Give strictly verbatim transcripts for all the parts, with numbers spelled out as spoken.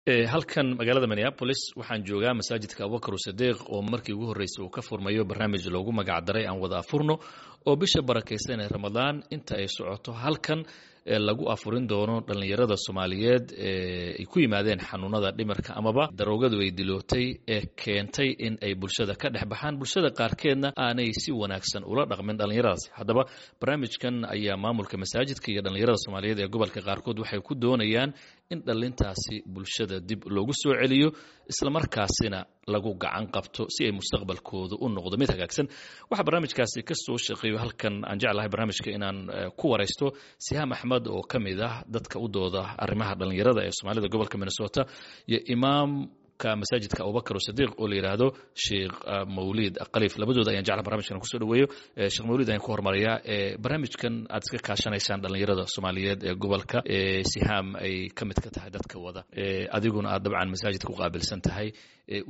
Halkan magaalada Minneapolis waxaan joogaa masaajidka Abubakar Sadiiq oo markii ugu horreysay uu ka furmayo barnaamij loogu magacdaray Aan Wada Afurno, oo bisha barakaysan ee Ramadaan inta ay socoto halkan lagu afurin doono dhallinyarada Soomaaliyeed ee ay ku yimaadeen xanuunada dhimirka amaba daroogadu ay dilootay ee keentay in ay bulshada ka dhex baxaan, bulshada qaarkeedna aanay si wanaagsan ula dhaqmin dhallinyaradaasi. Haddaba barnaamijkan ayaa maamulka masaajidka iyo dhallinyarada Soomaaliyeed ee gobolka qaarkood waxay ku doonayaan in dhallintaasi bulshada dib loogu soo celiyo, islamarkaasina lagu gacan qabto si ay mustaqbalkooda u noqdo mid hagaagsan. Waxaa barnaamijkaasi ka soo shaqeeyo halkan aan jeclahay barnaamijka inaan ku waraysto Sihaam Axmed oo ka mid ah dadka u dooda arrimaha dhallinyarada ee Soomaalida gobolka Minnesota, iyo imaamka masaajidka Abubakar Sadiiq oo la yidhaahdo Sheekh Mawliid Khaliif. Labadooda ayaan jeclaha barnamijkan kusoo dhaweeyo. Sheekh Mawliid ayaan ku hormarayaa. Barnaamijkan aad iska kaashanaysaan dhallinyarada Soomaaliyeed ee gobolka, Sihaam ay ka mid ka tahay dadka wada, adiguna aad dabcan masaajidka ku qaabilsan tahay,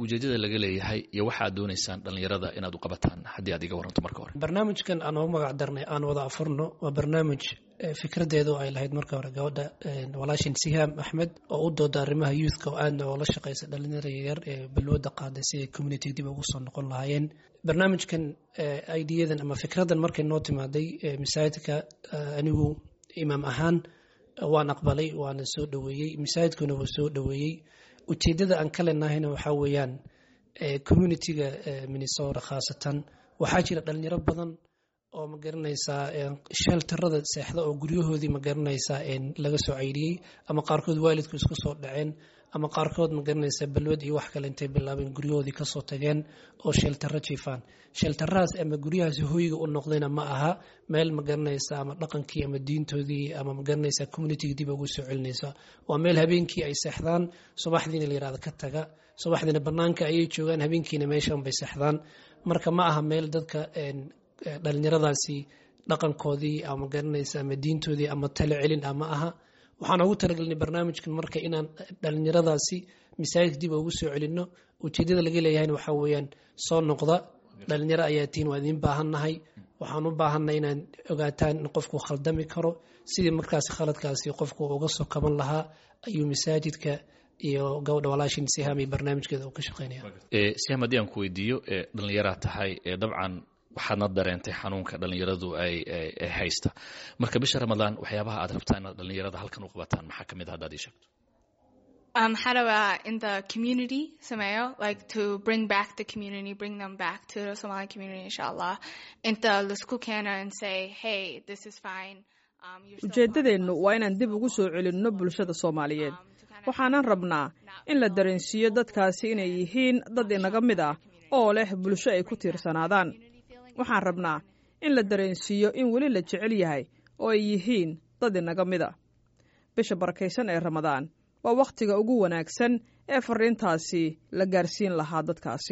ujeedada laga leeyahay iyo waxaad doonaysaan dhallinyarada inaad u qabataan, haddii aad iga waranto marka hore. Barnaamijkan aan ugu magac darnay Aan Wada Afurno waa barnaamij fikradeedu ay lahayd marka hore gabadha walaashin Sihaam Axmed oo u dooda arrimaha youthka oo aadna oola shaqeysa dhalinyarada yaryar ee balwada qaaday siday community dib ugu soo noqon lahaayeen. Barnaamijkan ideadan ama fikradan markay noo timaaday masaajidka, anigu imaam ahaan waan aqbalay, waana soo dhoweeyey, masaajidkuna wuu soo dhoweeyey. Ujeedada aan ka leenahayna waxaa weeyaan communityga Minnesota khaasatan waxaa jira dhalinyaro badan oo, ma garanaysaa, shelterada seexda oo guryahoodii, ma garanaysaa, laga soo cayriyey, ama qaarkood waalidku isku soo dhaceen, ama qaarkood, ma garanaysaa, balwad iyo wax kale intay bilaabeen guryahoodii kasoo tageen oo sheltero jiifaan. Shelterahaas ama guryahaas hoyga u noqdayna ma aha meel, ma garanaysaa, ama dhaqankii ama diintoodii ama, ma garanaysaa, communityga dib ugu soo celinaysa. Waa meel habeenkii ay seexdaan, subaxdiina la yirahdo ka taga. Subaxdiina banaanka ayay joogaan, habeenkiina meeshan bay seexdaan. Marka ma aha meel dadka dhalinyaradaasi dhaqankoodii ama, garanaysa, ama diintoodii ama talo celin ah ma aha. Waxaan ugu talagelinay barnaamijkan marka inaan dhalinyaradaasi masaajidka dib ugu soo celinno. Ujeedada laga leeyahayna waxaa weeyaan: soo noqda, dhalinyaro ayaa tihiin, waa idiin baahannahay. Waxaan u baahannahay inaan ogaataan in qofku khaldami karo, sidii markaasi khaladkaasi qofku uga soo kaban lahaa ayuu masaajidka iyo gabadha walaashin Sihaam iyo barnaamijkeeda uu ka shaqeynaya. Sihaam, haddii aan ku weydiiyo, dhalinyaraa tahay dabcan, waxaadna dareentay xanuunka dhalinyaradu ay haysta. Marka bisha Ramadaan waxyaabaha aad rabtaan inaad dhalinyarada halkan u qabataan maxaa ka mid a, haddaad ii sheegto? Um, how do I in the community sameeyo, like to bring back the community, bring them back to the Somali community, inshallah, inta laisku keena and say, "Hey, this is fine." um, Ujeeddadeennu waa inaan dib ugu soo celinno bulshada Soomaaliyeed. Waxaanan rabnaa in la dareensiiyo dadkaasi inay yihiin dad inaga mid ah oo leh bulsho ay ku tiirsanaadaan. Waxaan rabnaa in la dareensiiyo in weli la jecel yahay oo ay yihiin dad inaga mid a. Bisha barakaysan ee Ramadaan waa wakhtiga ugu wanaagsan ee fariintaasi la gaarsiin lahaa dadkaasi.